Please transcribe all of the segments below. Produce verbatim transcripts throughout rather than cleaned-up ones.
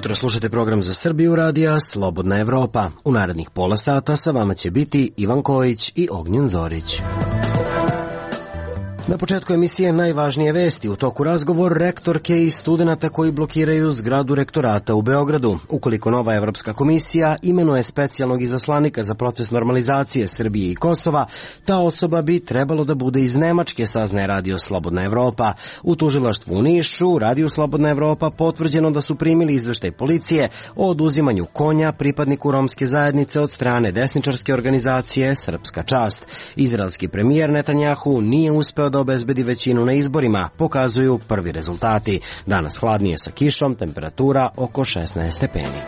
jutro, slušate program za Srbiju radija Slobodna Evropa. U narednih pola sata sa vama će biti Ivan Kojić i Ognjen Zorić. Na početku emisije najvažnije vesti. U toku razgovor rektorke i studenata koji blokiraju zgradu rektorata u Beogradu. Ukoliko nova Evropska komisija imenuje specijalnog izaslanika za proces normalizacije Srbije i Kosova, ta osoba bi trebalo da bude iz Nemačke, saznaje Radio Slobodna Evropa. U tužilaštvu u Nišu, Radio Slobodna Evropa potvrđeno da su primili izveštaj policije o oduzimanju konja pripadniku romske zajednice od strane desničarske organizacije Srpska čast. Izraelski premijer Netanjahu nije uspeo da obezbedi većinu na izborima, pokazuju prvi rezultati. Danas hladnije sa kišom, temperatura oko šesnaest stepeni.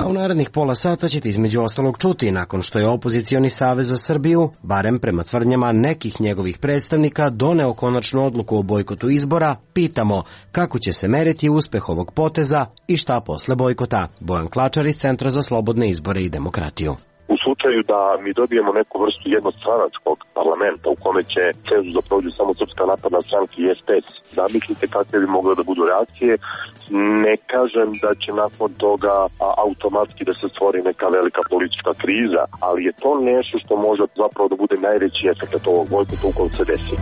A u narednih pola sata ćete između ostalog čuti, nakon što je opozicioni savez za Srbiju, barem prema tvrdnjama nekih njegovih predstavnika, doneo konačnu odluku o bojkotu izbora, pitamo kako će se meriti uspeh ovog poteza i šta posle bojkota. Bojan Klačar iz Centra za slobodne izbore i demokratiju. U slučaju da mi dobijemo neku vrstu jednostranačkog parlamenta u kome će cenzus da prođu samo Srpska napredna stranka i es pe es, zamislite kakve bi mogle da budu reakcije. Ne kažem da će nakon toga automatski da se stvori neka velika politička kriza, ali je to nešto što može zapravo da bude najveći efekt ovog bojkota ukoliko se desi.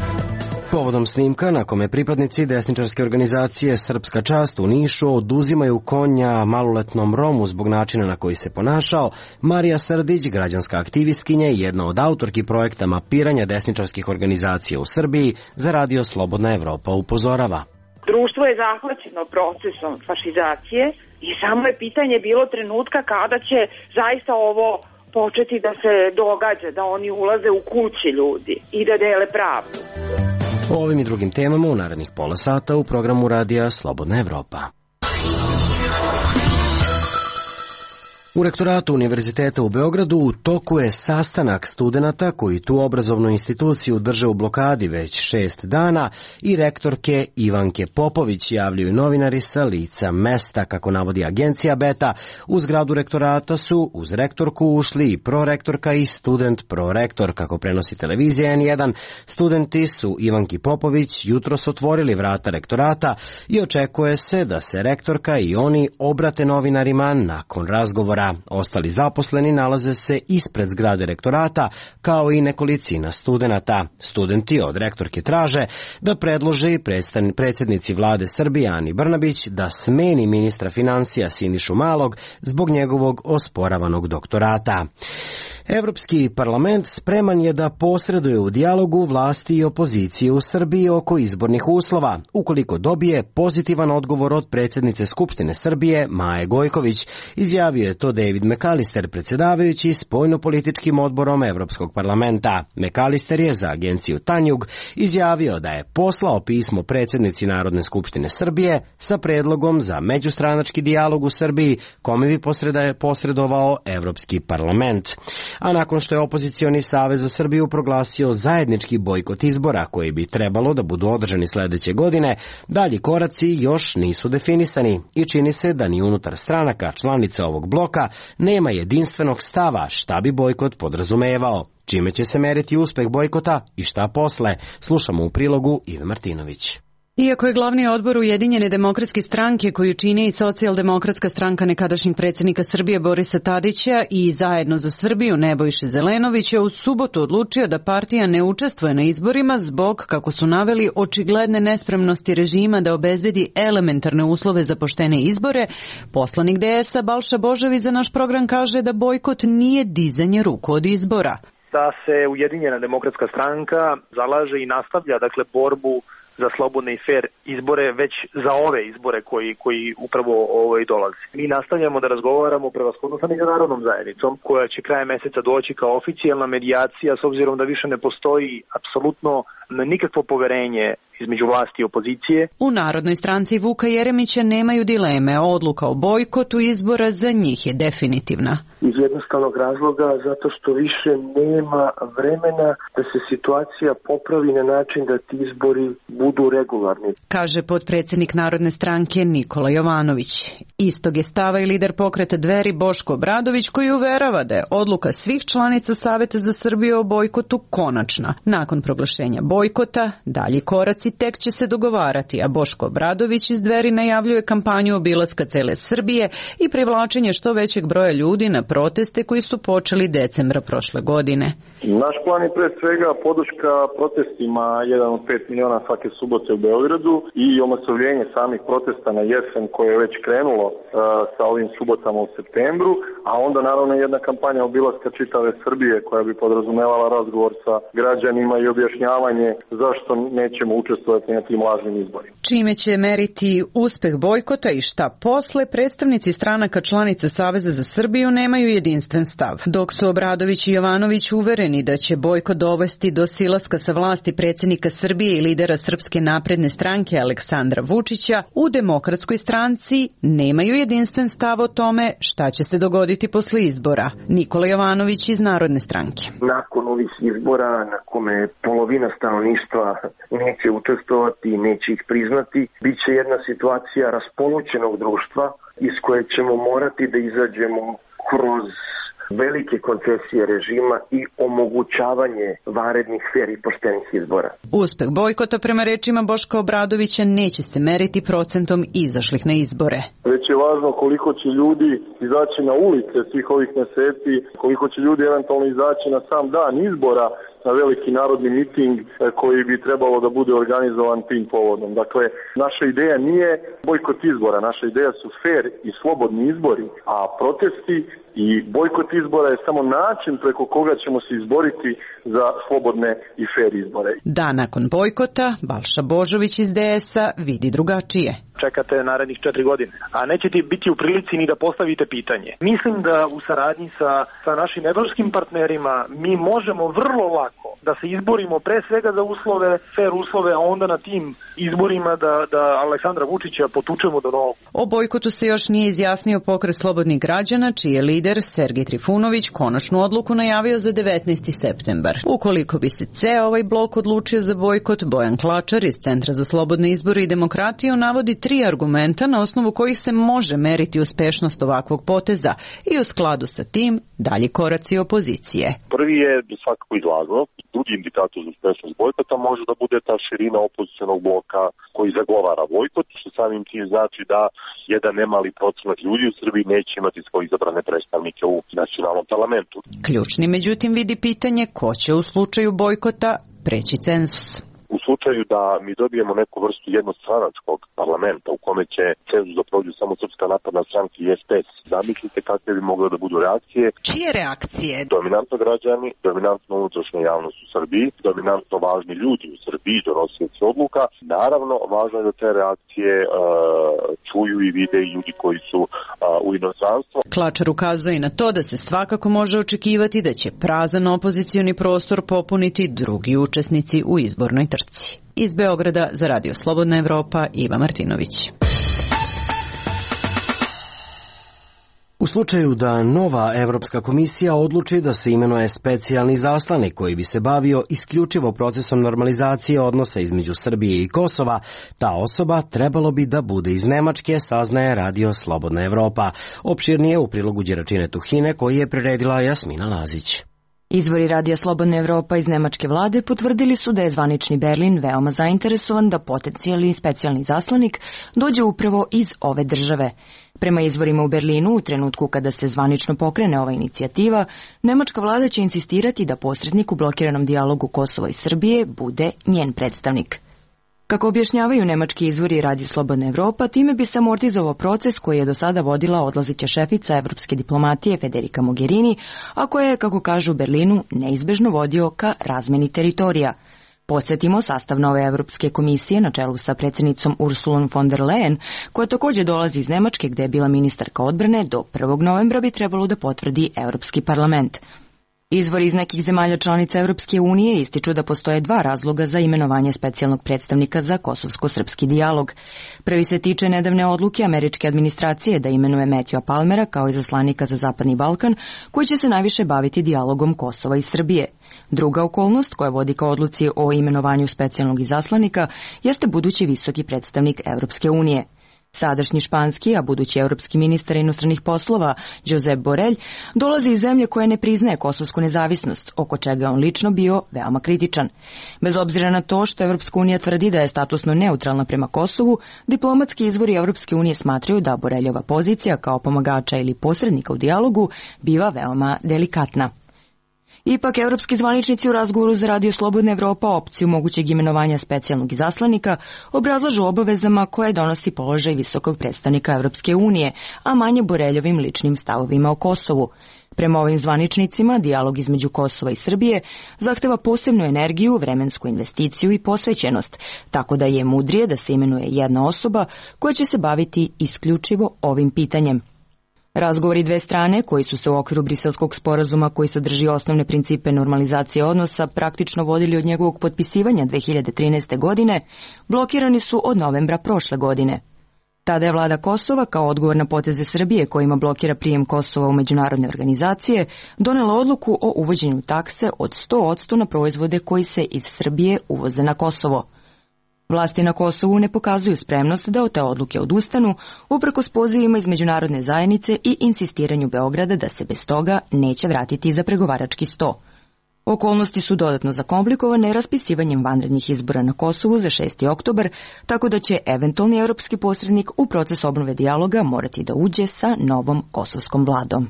Povodom snimka na kome pripadnici desničarske organizacije Srpska čast u Nišu oduzimaju konja maloletnom Romu zbog načina na koji se ponašao, Marija Srdić, građanska aktivistkinja i jedna od autorki projekta mapiranja desničarskih organizacija u Srbiji, za Radio Slobodna Evropa upozorava. Društvo je zahvaćeno procesom fašizacije i samo je pitanje bilo trenutka kada će zaista ovo početi da se događa, da oni ulaze u kući ljudi i da dele pravdu. O ovim i drugim temama u narednih pola sata u programu Radija Slobodna Evropa. U rektoratu Univerziteta u Beogradu u toku je sastanak studenata koji tu obrazovnu instituciju drže u blokadi već šest dana i rektorke Ivanke Popović, javljaju novinari sa lica mesta. Kako navodi agencija Beta, u zgradu rektorata su uz rektorku ušli i prorektorka i student prorektor. Kako prenosi televizija en jedan, studenti su Ivanki Popović jutros otvorili vrata rektorata i očekuje se da se rektorka i oni obrate novinarima nakon razgovora. Ostali zaposleni nalaze se ispred zgrade rektorata, kao i nekolicina studenata. Studenti od rektorke traže da predlože i predsjednici vlade Srbije Ani Brnabić da smeni ministra finansija Sinišu Malog zbog njegovog osporavanog doktorata. Evropski parlament spreman je da posreduje u dijalogu vlasti i opozicije u Srbiji oko izbornih uslova, ukoliko dobije pozitivan odgovor od predsjednice Skupštine Srbije Maje Gojković, izjavio je to David McAllister, predsjedavajući spoljnopolitičkim odborom Evropskog parlamenta. McAllister je za agenciju Tanjug izjavio da je poslao pismo predsjednici Narodne skupštine Srbije sa predlogom za međustranački dijalog u Srbiji, kome bi posredovao Evropski parlament. A nakon što je opozicioni savez za Srbiju proglasio zajednički bojkot izbora koji bi trebalo da budu održani sledeće godine, dalji koraci još nisu definisani i čini se da ni unutar stranaka članica ovog bloka nema jedinstvenog stava šta bi bojkot podrazumevao. Čime će se meriti uspeh bojkota i šta posle, slušamo u prilogu Ive Martinović. Iako je glavni odbor Ujedinjene demokratske stranke, koju čini i socijaldemokratska stranka nekadašnjeg predsjednika Srbije Borisa Tadića i Zajedno za Srbiju Nebojše Zelenovića u subotu odlučio da partija ne učestvuje na izborima zbog, kako su naveli, očigledne nespremnosti režima da obezbedi elementarne uslove za poštene izbore, poslanik de es a Balša Božović za naš program kaže da bojkot nije dizanje ruku od izbora. Da se Ujedinjena demokratska stranka zalaže i nastavlja, dakle, borbu za slobodne i fair izbore već za ove izbore koji koji upravo ovaj dolaze. Mi nastavljamo da razgovaramo prevashodno sa međunarodnom zajednicom koja će krajem meseca doći kao oficijalna medijacija, s obzirom da više ne postoji apsolutno nikakvo poverenje između vlasti i opozicije. U Narodnoj stranci Vuka Jeremića nemaju dileme, odluka o bojkotu izbora za njih je definitivna. Iz jednostavnog razloga zato što više nema vremena da se situacija popravi na način da ti izbori budu regularni, kaže potpredsjednik Narodne stranke Nikola Jovanović. Istog je stava i lider pokreta Dveri Boško Obradović, koji uverava da je odluka svih članica Saveta za Srbiju o bojkotu konačna. Nakon proglašenja bojkota bojkota, dalji koraci tek će se dogovarati, a Boško Obradović iz Dveri najavljuje kampanju obilaska cele Srbije i privlačenje što većeg broja ljudi na proteste koji su počeli decembra prošle godine. Naš plan je pre svega podrška protestima jedan od pet miliona svake subote u Beogradu i omasovljenje samih protesta na jesen koje je već krenulo uh, sa ovim subotama u septembru, a onda naravno jedna kampanja obilaska čitave Srbije koja bi podrazumevala razgovor sa građanima i objašnjavanje zašto nećemo učestvovati na tim lažnim izborima. Čime će meriti uspeh bojkota i šta posle, predstavnici stranaka članica Saveza za Srbiju nemaju jedinstven stav. Dok su Obradović i Jovanović uvereni da će bojkot dovesti do silaska sa vlasti predsjednika Srbije i lidera Srpske napredne stranke Aleksandra Vučića, u Demokratskoj stranci nemaju jedinstven stav o tome šta će se dogoditi posle izbora. Nikola Jovanović iz Narodne stranke. Nakon ovih izbora na kome polovina stanovništva neće učestvovati, neće ih priznati, bit će jedna situacija raspolućenog društva iz koje ćemo morati da izađemo kroz velike koncesije režima i omogućavanje vanrednih, fer i poštenih izbora. Uspeh bojkota prema rečima Boška Obradovića neće se meriti procentom izašlih na izbore. Već je važno koliko će ljudi izaći na ulice svih ovih meseci, koliko će ljudi eventualno izaći na sam dan izbora na veliki narodni miting koji bi trebalo da bude organizovan tim povodom. Dakle, naša ideja nije bojkot izbora, naša ideja su fer i slobodni izbori, a protesti i bojkot izbora je samo način preko koga ćemo se izboriti za slobodne i fer izbore. Da, nakon bojkota, Balša Božović iz D S-a vidi drugačije. Čekate narednih četiri godine, a nećete biti u prilici ni da postavite pitanje. Mislim da u saradnji sa, sa našim evropskim partnerima mi možemo vrlo lako da se izborimo pre svega za uslove, fer uslove, a onda na tim izborima da, da Aleksandra Vučića potučemo do nogu. O bojkotu se još nije izjasnio Pokret slobodnih građana, čiji je lider Sergej Trifunović konačnu odluku najavio za devetnaesti septembar. Ukoliko bi se ceo ovaj blok odlučio za bojkot, Bojan Klačar iz Centra za slobodne izbore i demokratiju navodi tri argumenta na osnovu kojih se može meriti uspešnost ovakvog poteza i u skladu sa tim dalji koraci opozicije. Prvi je svakako izlazno. Drugi indikator za uspešnost bojkota može da bude ta širina opozicionog bloka koji zagovara bojkot, što samim tim znači da jedan nemali procenat ljudi u Srbiji neće imati svoje izabrane predstavnike u nacionalnom parlamentu. Ključni međutim vidi pitanje ko će u slučaju bojkota preći cenzus. U slučaju da mi dobijemo neku vrstu jednostranačkog parlamenta u kome će cenzus da prođu samo Srpska napredna stranka i S P S, zamislite kakve bi mogle da budu reakcije. Čije reakcije? Dominantno građani, dominantno unutrašnja javnost u Srbiji, dominantno važni ljudi u Srbiji, donosioci odluka. Naravno, važno je da te reakcije uh, čuju i vide i ljudi koji su uh, u inostranstvu. Klačar ukazuje i na to da se svakako može očekivati da će prazan opozicioni prostor popuniti drugi učesnici u izbornoj trci. Iz Beograda za Radio Slobodna Evropa, Iva Martinović. U slučaju da nova Evropska komisija odluči da se imenuje specijalni zaslanik koji bi se bavio isključivo procesom normalizacije odnosa između Srbije i Kosova, ta osoba trebalo bi da bude iz Nemačke, saznaje Radio Slobodna Evropa. Opširnije u prilogu Đeračine Tuhine koji je priredila Jasmina Lazić. Izvori Radija Slobodna Evropa iz nemačke vlade potvrdili su da je zvanični Berlin veoma zainteresovan da potencijalni specijalni zaslanik dođe upravo iz ove države. Prema izvorima u Berlinu, u trenutku kada se zvanično pokrene ova inicijativa, nemačka vlada će insistirati da posrednik u blokiranom dijalogu Kosova i Srbije bude njen predstavnik. Kako objašnjavaju nemački izvori Radio Slobodna Evropa, time bi se amortizovao proces koji je do sada vodila odlazeća šefica evropske diplomatije Federica Mogherini, a koja je, kako kažu u Berlinu, neizbežno vodio ka razmeni teritorija. Podsjetimo, sastav nove Evropske komisije na čelu sa predsjednicom Ursulom von der Leyen, koja također dolazi iz Nemačke gde je bila ministarka odbrane, do prvog novembra bi trebalo da potvrdi Evropski parlament. Izvori iz nekih zemalja članica Evropske unije ističu da postoje dva razloga za imenovanje specijalnog predstavnika za kosovsko-srpski dijalog. Prvi se tiče nedavne odluke američke administracije da imenuje Matthewa Palmera kao izaslanika za Zapadni Balkan, koji će se najviše baviti dijalogom Kosova i Srbije. Druga okolnost koja vodi ka odluci o imenovanju specijalnog izaslanika jeste budući visoki predstavnik Evropske unije. Sadašnji španski, a budući evropski ministar inostranih poslova, Josep Borrell, dolazi iz zemlje koja ne priznaje kosovsku nezavisnost, oko čega je on lično bio veoma kritičan. Bez obzira na to što Evropska unija tvrdi da je statusno neutralna prema Kosovu, diplomatski izvori Evropske unije smatraju da Borreljova pozicija kao pomagača ili posrednika u dijalogu biva veoma delikatna. Ipak, evropski zvaničnici u razgovoru za Radio Slobodna Evropa opciju mogućeg imenovanja specijalnog izaslanika obrazlažu obavezama koje donosi položaj visokog predstavnika Evropske unije, a manje Borreljovim ličnim stavovima o Kosovu. Prema ovim zvaničnicima, dijalog između Kosova i Srbije zahteva posebnu energiju, vremensku investiciju i posvećenost, tako da je mudrije da se imenuje jedna osoba koja će se baviti isključivo ovim pitanjem. Razgovori dve strane, koji su se u okviru Briselskog sporazuma koji sadrži osnovne principe normalizacije odnosa praktično vodili od njegovog potpisivanja dve hiljade trinaeste. godine, blokirani su od novembra prošle godine. Tada je vlada Kosova, kao odgovor na poteze Srbije kojima blokira prijem Kosova u međunarodne organizacije, donela odluku o uvođenju takse od sto posto na proizvode koji se iz Srbije uvoze na Kosovo. Vlasti na Kosovu ne pokazuju spremnost da od te odluke odustanu, uprkos pozivima iz međunarodne zajednice i insistiranju Beograda da se bez toga neće vratiti za pregovarački sto. Okolnosti su dodatno zakomplikovane raspisivanjem vanrednih izbora na Kosovu za šesti oktobar, tako da će eventualni evropski posrednik u proces obnove dijaloga morati da uđe sa novom kosovskom vladom.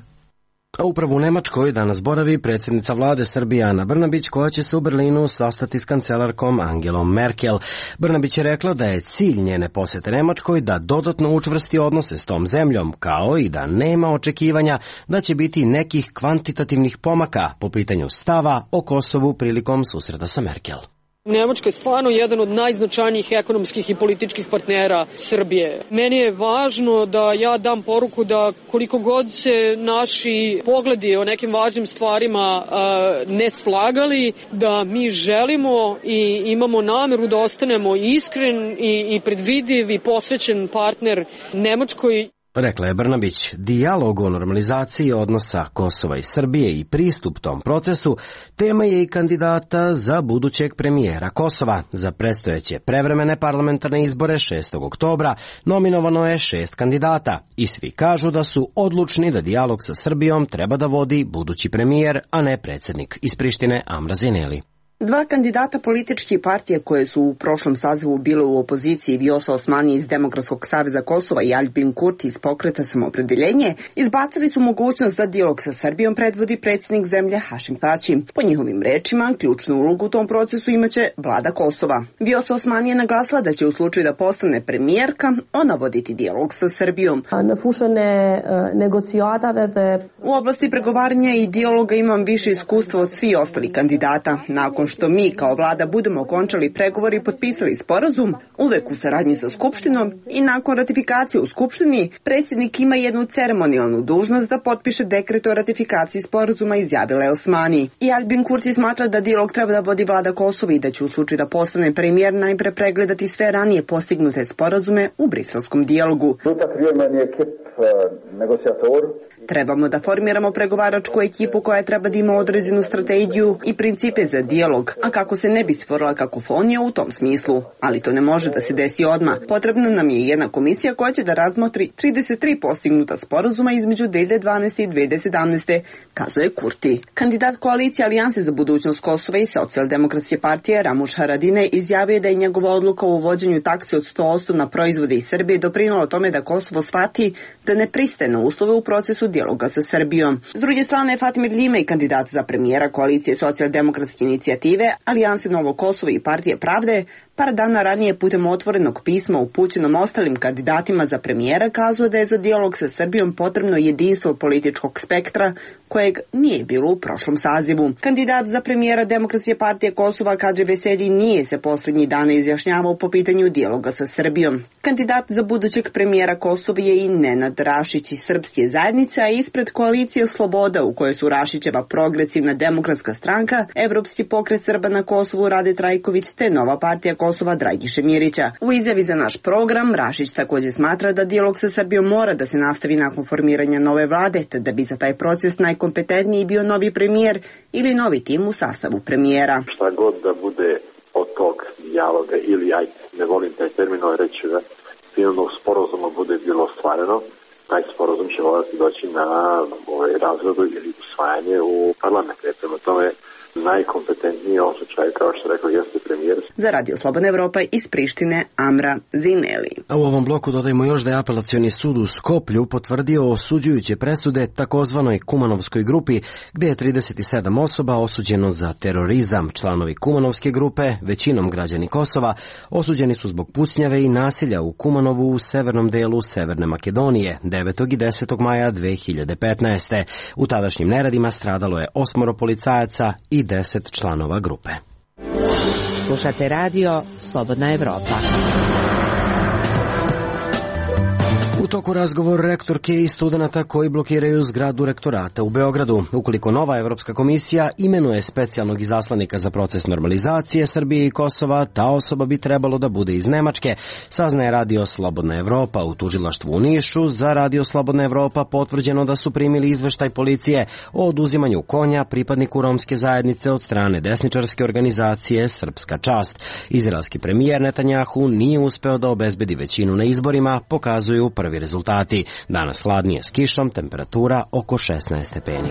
A upravo u Nemačkoj danas boravi predsjednica vlade Srbije Ana Brnabić, koja će se u Berlinu sastati s kancelarkom Angelom Merkel. Brnabić je rekla da je cilj njene posete Nemačkoj da dodatno učvrsti odnose s tom zemljom, kao i da nema očekivanja da će biti nekih kvantitativnih pomaka po pitanju stava o Kosovu prilikom susreta sa Merkel. Nemačka je stvarno jedan od najznačajnijih ekonomskih i političkih partnera Srbije. Meni je važno da ja dam poruku da koliko god se naši pogledi o nekim važnim stvarima ne slagali, da mi želimo i imamo nameru da ostanemo iskren i predvidiv i posvećen partner Nemačkoj. Rekla je Brnabić, dijalog o normalizaciji odnosa Kosova i Srbije i pristup tom procesu tema je i kandidata za budućeg premijera Kosova. Za predstojeće prevremene parlamentarne izbore šestog oktobra nominovano je šest kandidata i svi kažu da su odlučni da dijalog sa Srbijom treba da vodi budući premijer, a ne predsjednik iz Prištine Amra Zineli. Dva kandidata političkih partije koje su u prošlom sazivu bile u opoziciji, Vjosa Osmani iz Demokratskog saveza Kosova i Aljbin Kurti iz Pokreta Samoopredeljenje, izbacili su mogućnost da dijalog sa Srbijom predvodi predsjednik zemlje Hašim Tači. Po njihovim rečima, ključnu ulogu u tom procesu imaće vlada Kosova. Vjosa Osmani je naglasila da će u slučaju da postane premijerka, ona voditi dijalog sa Srbijom. U oblasti pregovaranja i dijaloga imam više iskustva od svih ostalih kandidata. Nakon što mi kao vlada budemo okončali pregovori i potpisali sporazum, uvek u saradnji sa Skupštinom i nakon ratifikacije u Skupštini, predsjednik ima jednu ceremonijalnu dužnost da potpiše dekret o ratifikaciji sporazuma, izjavila je Osmani. I Aljbin Kurti smatra da dijalog treba da vodi vlada Kosova i da će u slučaju da postane premijer najpre pregledati sve ranije postignute sporazume u briselskom dijalogu. Trebamo da formiramo pregovaračku ekipu koja treba da ima određenu strategiju i principe za dijalog, a kako se ne bi stvorila kakofonija u tom smislu. Ali to ne može da se desi odmah. Potrebna nam je jedna komisija koja će da razmotri trideset tri postignuta sporazuma između dve hiljade dvanaeste i dve hiljade sedamnaeste, kazuje Kurti. Kandidat koalicije Alijanse za budućnost Kosova i Socijaldemokratske partije Ramuš Haradine izjavio da je njegova odluka o uvođenju takse od sto posto na proizvode iz Srbije doprinula tome da Kosovo shvati da ne pristaje na uslove u procesu dijaloga sa Srbijom. S druge strane, Fatimir Ljime, kandidat za premijera koalicije Socijaldemokratske inicijative, Alijanse Novo Kosovo i Partije Pravde, par dana ranije putem otvorenog pisma upućenom ostalim kandidatima za premijera kazao da je za dijalog sa Srbijom potrebno jedinstvo političkog spektra kojeg nije bilo u prošlom sazivu. Kandidat za premijera Demokratske partije Kosova Kadri Veselji nije se posljednjih dana izjašnjavao po pitanju dijaloga sa Srbijom. Kandidat za budućeg premijera Kosova je i Nenad Rašić iz Srpske zajednice, a ispred koalicije Sloboda u kojoj su Rašićeva progresivna demokratska stranka, Evropski pokret Srba na Kosovu Rade Trajković te Nova partija Kosova Dragiše Mirića. U izjavi za naš program Rašić također smatra da dijalog sa Srbijom mora da se nastavi nakon formiranja nove vlade, te da bi za taj proces najkompetentniji bio novi premijer ili novi tim u sastavu premijera. Šta god da bude od tog dijaloga ili, aj, ne volim taj termin, ali reći da finalnog sporazuma bude bilo ostvareno, taj sporazum će morati doći na ovaj, razradu ili usvajanje u parlamentu. Prema tome, najkompetentniji u ovom slučaju, kao što rekao, jeste premijer. Za Radio Slobodna Evropa iz Prištine Amra Zineli. A u ovom bloku dodajmo još da je apelacioni sud u Skoplju potvrdio osuđujuće presude takozvanoj Kumanovskoj grupi, gde je trideset sedam osoba osuđeno za terorizam. Članovi Kumanovske grupe, većinom građani Kosova, osuđeni su zbog pucnjave i nasilja u Kumanovu u severnom delu Severne Makedonije devetog i desetog maja dve hiljade petnaeste. U tadašnjim neredima stradalo je osmoro policajaca i deset članova grupe. Slušate radio Slobodna Evropa. U toku razgovor rektorke i studenata koji blokiraju zgradu rektorata u Beogradu. Ukoliko nova Evropska komisija imenuje specijalnog izaslanika za proces normalizacije Srbije i Kosova, ta osoba bi trebalo da bude iz Nemačke, saznaje Radio Slobodna Evropa. U tužilaštvu u Nišu za Radio Slobodna Evropa potvrđeno da su primili izveštaj policije o oduzimanju konja pripadniku romske zajednice od strane desničarske organizacije Srpska čast. Izraelski premijer Netanjahu nije uspeo da obezbedi većinu na izborima, pokazuju prvi rezultati. Danas hladnije s kišom, temperatura oko šesnaest stepeni.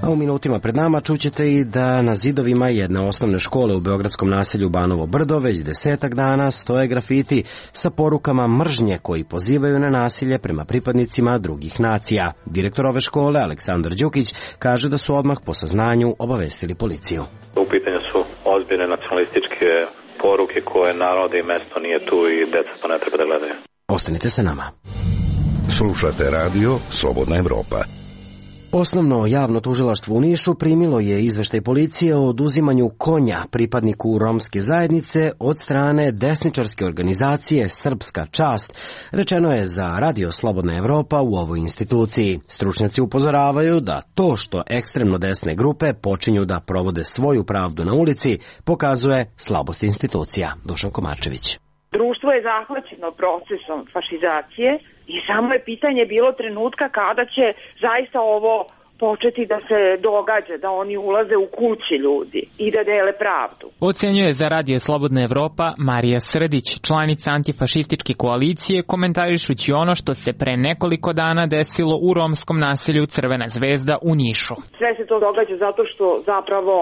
A u minutima pred nama čućete i da na zidovima jedne osnovne škole u beogradskom naselju Banovo Brdo već desetak dana stoje grafiti sa porukama mržnje koji pozivaju na nasilje prema pripadnicima drugih nacija. Direktor ove škole, Aleksandar Đukić, kaže da su odmah po saznanju obavestili policiju. U pitanju su ozbiljne nacionalističke poruke koje naravno da i mesto nije tu i deca to ne treba da gledaju. Ostanite sa nama. Slušate radio Slobodna Evropa. Osnovno javno tužilaštvo u Nišu primilo je izveštaj policije o oduzimanju konja pripadniku romske zajednice od strane desničarske organizacije Srpska čast, rečeno je za Radio Slobodna Evropa u ovoj instituciji. Stručnjaci upozoravaju da to što ekstremno desne grupe počinju da provode svoju pravdu na ulici pokazuje slabost institucija. Dušan Komarčević. Društvo je zahvaćeno procesom fašizacije i samo je pitanje bilo trenutka kada će zaista ovo početi da se događa, da oni ulaze u kući ljudi i da dele pravdu. Ocenjuje za Radio Slobodna Evropa Marija Srdić, članica antifašističke koalicije, komentarišući ono što se pre nekoliko dana desilo u romskom naselju Crvena zvezda u Nišu. Sve se to događa zato što zapravo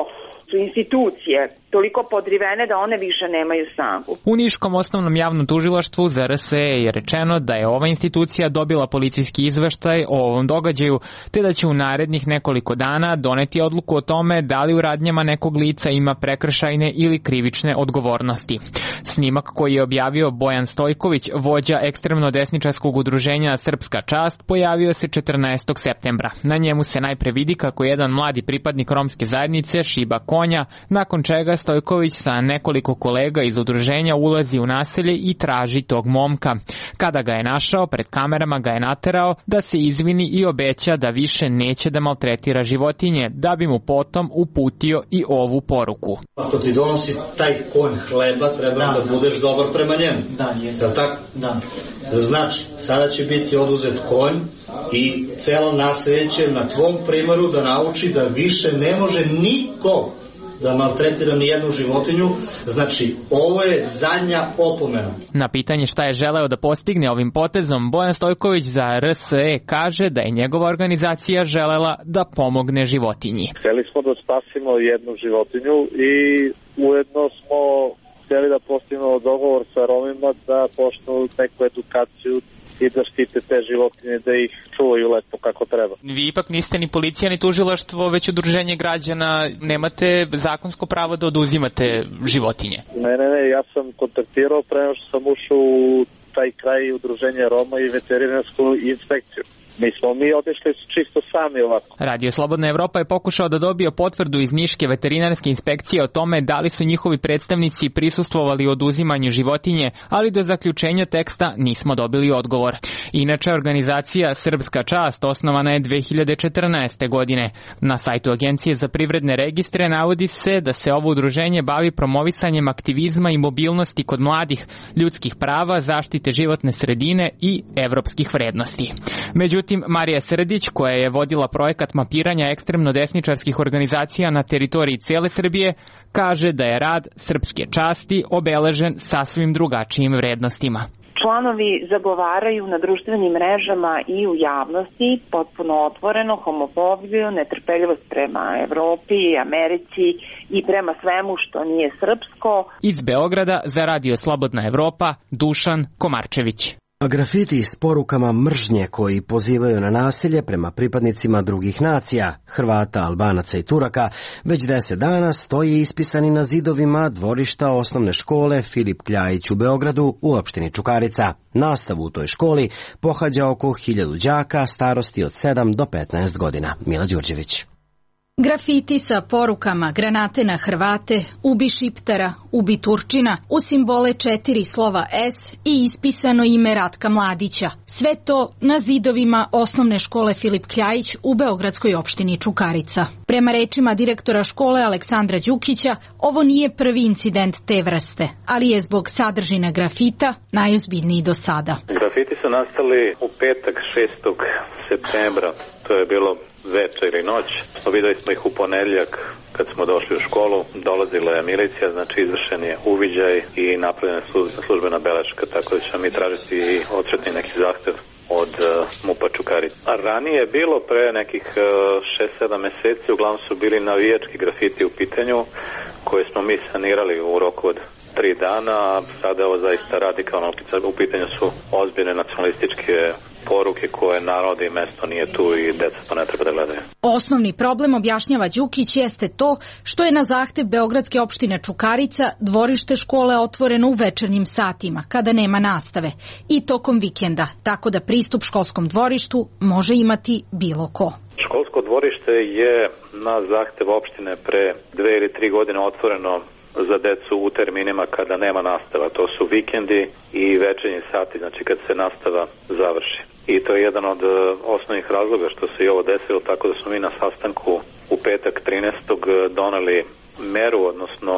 su institucije toliko podrivene da one više nemaju snagu. U Niškom osnovnom javnom tužilaštvu za R S E je rečeno da je ova institucija dobila policijski izveštaj o ovom događaju, te da će u narednih nekoliko dana doneti odluku o tome da li u radnjama nekog lica ima prekršajne ili krivične odgovornosti. Snimak koji je objavio Bojan Stojković, vođa ekstremno desničarskog udruženja Srpska čast, pojavio se četrnaestog septembra. Na njemu se najpre vidi kako jedan mladi pripadnik romske zajednice šiba konja, nakon čega Stojković sa nekoliko kolega iz udruženja ulazi u naselje i traži tog momka. Kada ga je našao, pred kamerama ga je naterao da se izvini i obeća da više neće da maltretira životinje, da bi mu potom uputio i ovu poruku. Ako ti donosi taj konj hleba, treba da, da budeš dobar prema njemu. Da, jesam. Da, tako? Da. Znači, sada će biti oduzet konj i celo naselje će na tvom primeru da nauči da više ne može niko da maltretira ni jednu životinju, znači ovo je zadnja opomena. Na pitanje šta je želeo da postigne ovim potezom, Bojan Stojković za R S E kaže da je njegova organizacija želela da pomogne životinji. Hteli smo da spasimo jednu životinju i ujedno smo hteli da postignemo dogovor sa Romima da počnu neku edukaciju i da štite te životinje, da ih čuvaju lepo kako treba. Vi ipak niste ni policija ni tužilaštvo, već udruženje građana, nemate zakonsko pravo da oduzimate životinje. Ne, ne, ne, ja sam kontaktirao pre nego što sam ušao u taj kraj udruženja Roma i veterinarsku inspekciju. Mi smo mi otišli čisto sami ovako. Radio Slobodna Evropa je pokušao da dobije potvrdu iz Niške veterinarske inspekcije o tome da li su njihovi predstavnici prisustvovali oduzimanju životinje, ali do zaključenja teksta nismo dobili odgovor. Inače, organizacija Srpska čast osnovana je dve hiljade četrnaeste. godine. Na sajtu Agencije za privredne registre navodi se da se ovo udruženje bavi promovisanjem aktivizma i mobilnosti kod mladih, ljudskih prava, zaštite životne sredine i evropskih vrednosti. Međutim, Međutim, Marija Srdić, koja je vodila projekat mapiranja ekstremno-desničarskih organizacija na teritoriji cele Srbije, kaže da je rad Srpske časti obeležen sasvim drugačijim vrednostima. Članovi zagovaraju na društvenim mrežama i u javnosti potpuno otvoreno homofobiju, netrpeljivost prema Evropi, Americi i prema svemu što nije srpsko. Iz Beograda za Radio Slobodna Evropa, Dušan Komarčević. Grafiti s porukama mržnje koji pozivaju na nasilje prema pripadnicima drugih nacija, Hrvata, Albanaca i Turaka, već deset dana stoji ispisani na zidovima dvorišta osnovne škole Filip Kljajić u Beogradu u opštini Čukarica. Nastavu u toj školi pohađa oko hiljadu đaka starosti od sedam do petnaest godina. Mila Đurđević. Grafiti sa porukama granate na Hrvate, ubi Šiptara, ubi Turčina, u simbole četiri slova S i ispisano ime Ratka Mladića. Sve to na zidovima osnovne škole Filip Kljajić u beogradskoj opštini Čukarica. Prema rečima direktora škole Aleksandra Đukića, ovo nije prvi incident te vrste, ali je zbog sadržine grafita najozbiljniji do sada. Grafiti su nastali u petak šestog septembra, to je bilo večer i noć. Videli smo ih u ponedjeljak kad smo došli u školu. Dolazila je milicija, znači izvršen je uviđaj i napravljena je službena beleška, tako da ćemo mi tražiti i odštetni neki zahtev od uh, MUP-a Čukarica. A ranije je bilo pre nekih šest sedam meseci, uglavnom su bili navijački grafiti u pitanju koje smo mi sanirali u roku od tri dana, a sada je ovo zaista radikalno. U pitanju su ozbiljne nacionalističke poruke koje narod i mesto nije tu i deca to ne treba da gledaju. Osnovni problem, objašnjava Đukić, jeste to što je na zahtev beogradske opštine Čukarica dvorište škole otvoreno u večernjim satima, kada nema nastave, i tokom vikenda, tako da pristup školskom dvorištu može imati bilo ko. Školsko dvorište je na zahtev opštine pre dve ili tri godine otvoreno za decu u terminima kada nema nastava. To su vikendi i večernji sati, znači kad se nastava završi. I to je jedan od osnovnih razloga što se i ovo desilo, tako da smo mi na sastanku u petak trinaestog doneli meru, odnosno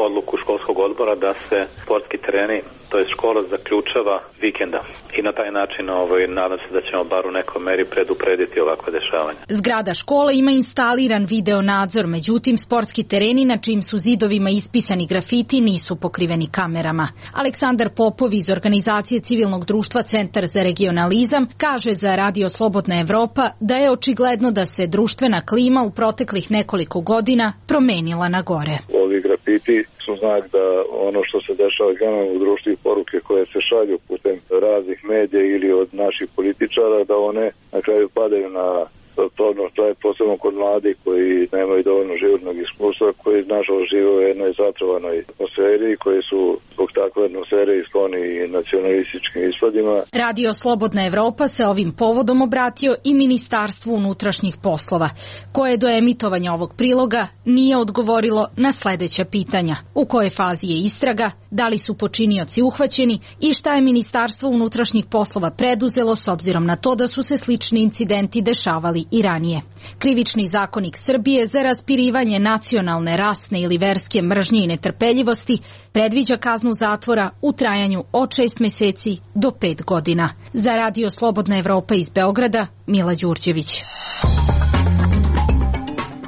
odluku školskog odbora da se sportski tereni, to je škola, zaključava vikenda. I na taj način ovaj, nadam se da ćemo bar u nekoj meri preduprediti ovakve dešavanja. Zgrada škole ima instaliran video nadzor, međutim sportski tereni na čijim su zidovima ispisani grafiti nisu pokriveni kamerama. Aleksandar Popov iz organizacije civilnog društva Centar za regionalizam kaže za Radio Slobodna Evropa da je očigledno da se društvena klima u proteklih nekoliko godina promenila na gore. Ovi grafiti su znak da ono što se dešava generalno u društvu i poruke koje se šalju putem raznih medija ili od naših političara, da one na kraju padaju na to, to je posebno kod mladih koji nemaju dovoljno životnog iskustva, koji nažalost žive u jednoj zatrovanoj atmosferi, koji su zbog takve atmosfere i skloni nacionalističkim ispadima. Radio Slobodna Evropa se ovim povodom obratio i Ministarstvu unutrašnjih poslova, koje do emitovanja ovog priloga nije odgovorilo na sledeća pitanja. U kojoj fazi je istraga, da li su počinioci uhvaćeni i šta je Ministarstvo unutrašnjih poslova preduzelo s obzirom na to da su se slični incidenti dešavali i ranije. Krivični zakonik Srbije za raspirivanje nacionalne, rasne ili verske mržnje i netrpeljivosti predviđa kaznu zatvora u trajanju od šest meseci do pet godina. Za Radio Slobodna Evropa iz Beograda, Mila Đurđević.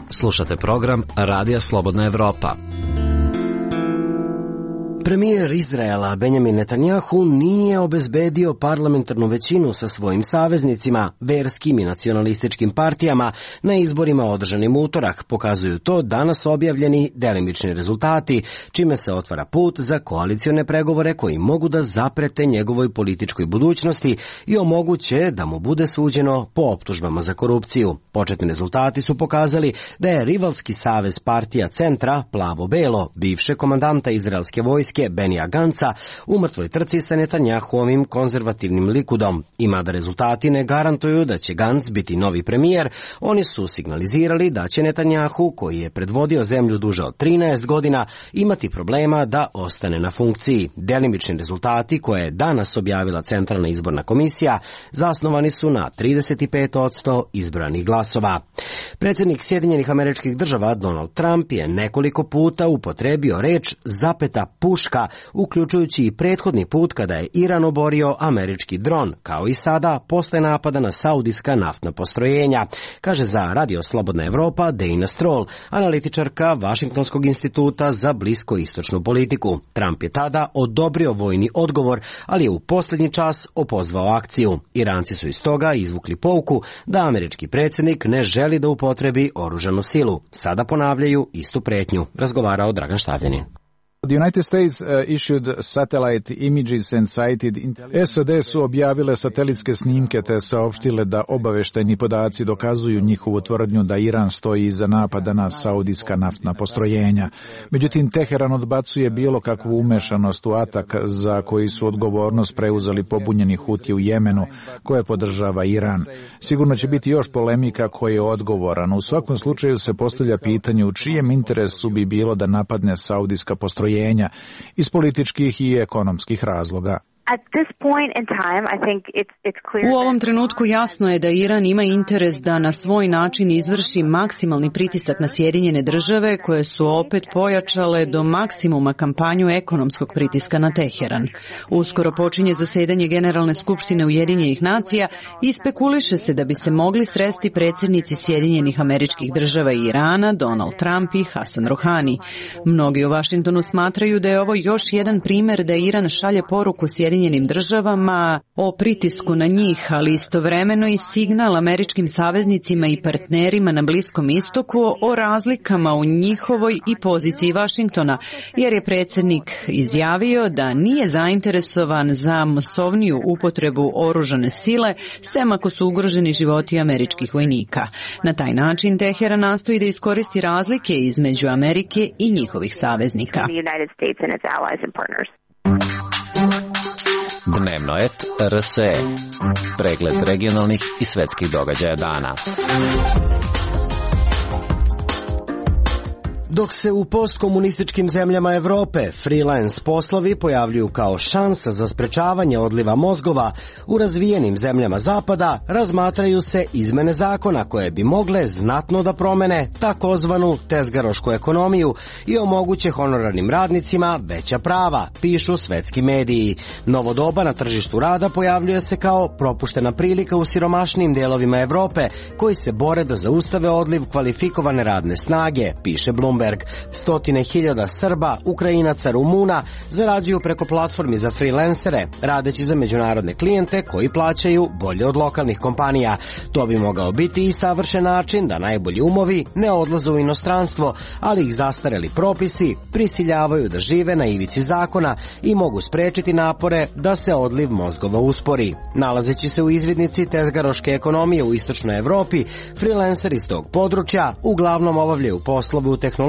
Slušate program Radija Slobodna Evropa. Premijer Izraela Benjamin Netanjahu nije obezbedio parlamentarnu većinu sa svojim saveznicima, verskim i nacionalističkim partijama na izborima održanim utorak, pokazuju to danas objavljeni delimični rezultati, čime se otvara put za koalicione pregovore koji mogu da zaprete njegovoj političkoj budućnosti i omoguće da mu bude suđeno po optužbama za korupciju. Početni rezultati su pokazali da je rivalski savez partija Centra, Plavo-Belo, bivše komandanta izraelske vojske Benija Ganca, u mrtvoj trci sa Netanjahuovim konzervativnim Likudom. I mada rezultati ne garantuju da će Ganc biti novi premijer, oni su signalizirali da će Netanjahu, koji je predvodio zemlju duže od trinaest godina, imati problema da ostane na funkciji. Delimični rezultati koje je danas objavila Centralna izborna komisija zasnovani su na trideset pet posto izbranih glasova. Predsjednik Sjedinjenih Američkih Država Donald Trump je nekoliko puta upotrebio reč zapeta push greška, uključujući i prethodni put kada je Iran oborio američki dron, kao i sada posle napada na saudijska naftna postrojenja, kaže za Radio Slobodna Evropa Dana Stroll, analitičarka Vašingtonskog instituta za bliskoistočnu politiku. Trump je tada odobrio vojni odgovor, ali je u posljednji čas opozvao akciju. Iranci su iz toga izvukli pouku da američki predsjednik ne želi da upotrebi oružanu silu. Sada ponavljaju istu pretnju, razgovarao Dragan Štavljanin. The United States uh, issued satellite images and cited S A D su objavile satelitske snimke te saopštile da obaveštajni podaci dokazuju njihovu tvrdnju da Iran stoji iza napada na saudijska naftna postrojenja. Međutim, Teheran odbacuje bilo kakvu umešanost u atak za koji su odgovornost preuzeli pobunjeni Huti u Jemenu, koje podržava Iran. Sigurno će biti još polemika ko je odgovoran. U svakom slučaju se postavlja pitanje u čijem interesu bi bilo da napadne saudijska postrojenja iz političkih i ekonomskih razloga. U ovom trenutku jasno je da Iran ima interes da na svoj način izvrši maksimalni pritisak na Sjedinjene države, koje su opet pojačale do maksimuma kampanju ekonomskog pritiska na Teheran. Uskoro počinje zasedanje Generalne skupštine Ujedinjenih nacija i spekuliše se da bi se mogli sresti predsjednici Sjedinjenih Američkih Država i Irana, Donald Trump i Hasan Rohani. Mnogi u Vašingtonu smatraju da je ovo još jedan primjer da Iran šalje poruku Sjedinjenim državama o pritisku na njih, ali istovremeno i signal američkim saveznicima i partnerima na Bliskom istoku o razlikama u njihovoj i poziciji Vašingtona, jer je predsjednik izjavio da nije zainteresovan za masovniju upotrebu oružane sile, sem ako su ugroženi životi američkih vojnika. Na taj način Teheran nastoji da iskoristi razlike između Amerike i njihovih saveznika. Dnevnoet R S E. Pregled regionalnih i svetskih događaja dana. Dok se u postkomunističkim zemljama Evrope freelance poslovi pojavljuju kao šansa za sprečavanje odliva mozgova, u razvijenim zemljama Zapada razmatraju se izmene zakona koje bi mogle znatno da promene takozvanu tezgarošku ekonomiju i omoguće honorarnim radnicima veća prava, pišu svetski mediji. Novo doba na tržištu rada pojavljuje se kao propuštena prilika u siromašnim delovima Evrope koji se bore da zaustave odliv kvalifikovane radne snage, piše Bloomberg. Stotine hiljada Srba, Ukrajinaca, Rumuna zarađuju preko platformi za freelancere, radeći za međunarodne klijente koji plaćaju bolje od lokalnih kompanija. To bi mogao biti i savršen način da najbolji umovi ne odlaze u inostranstvo, ali ih zastareli propisi prisiljavaju da žive na ivici zakona i mogu sprečiti napore da se odliv mozgova uspori. Nalazeći se u izvidnici tezgaroške ekonomije u istočnoj Evropi, freelanceri iz tog područja uglavnom obavljaju poslove u tehnologiji,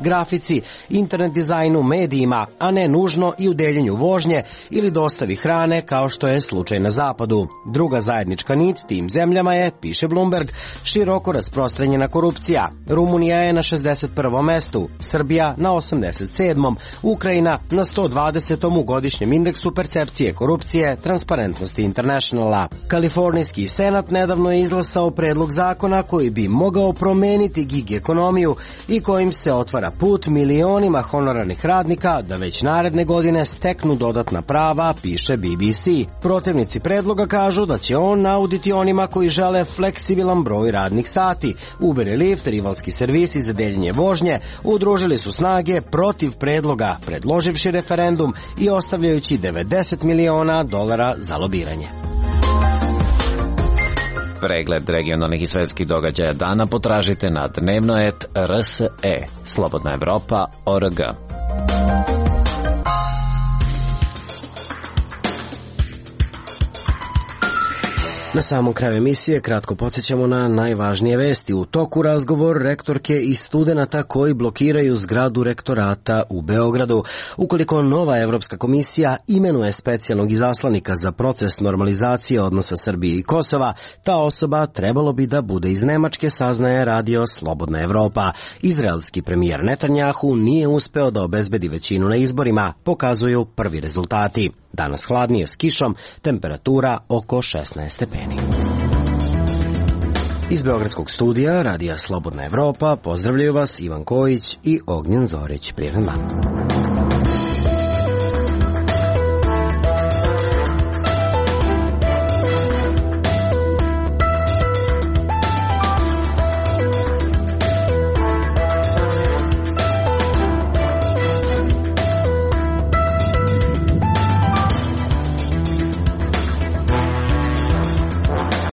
grafici, internet dizajnu, medijima, a ne nužno i u deljenju vožnje ili dostavi hrane kao što je slučaj na zapadu. Druga zajednička nit tim zemljama je, piše Bloomberg, široko rasprostranjena korupcija. Rumunija je na šezdeset prvom mestu, Srbija na osamdeset sedmom, Ukrajina na sto dvadesetom u godišnjem indeksu percepcije korupcije Transparentnosti Internationala. Kalifornijski senat nedavno je izglasao predlog zakona koji bi mogao promeniti gig ekonomiju i kojim se otvara put milionima honorarnih radnika da već naredne godine steknu dodatna prava, piše B B C. Protivnici predloga kažu da će on nauditi onima koji žele fleksibilan broj radnih sati. Uber i Lyft, rivalski servisi za deljenje vožnje, udružili su snage protiv predloga, predloživši referendum i ostavljajući devedeset miliona dolara za lobiranje. Pregled regionalnih i svetskih događaja dana potražite na dnevnoet R S E, Slobodna Evropa, O R G. Na samom kraju emisije kratko podsjećamo na najvažnije vesti. U toku razgovor rektorke i studenata koji blokiraju zgradu rektorata u Beogradu. Ukoliko nova Evropska komisija imenuje specijalnog izaslanika za proces normalizacije odnosa Srbije i Kosova, ta osoba trebalo bi da bude iz Nemačke, saznaje Radio Slobodna Evropa. Izraelski premijer Netanjahu nije uspeo da obezbedi većinu na izborima, pokazuju prvi rezultati. Danas hladnije s kišom, temperatura oko šesnaest stepeni. Iz Beogradskog studija Radija Slobodna Evropa pozdravljaju vas Ivan Kojić i Ognjen Zorić. Prijetan dan.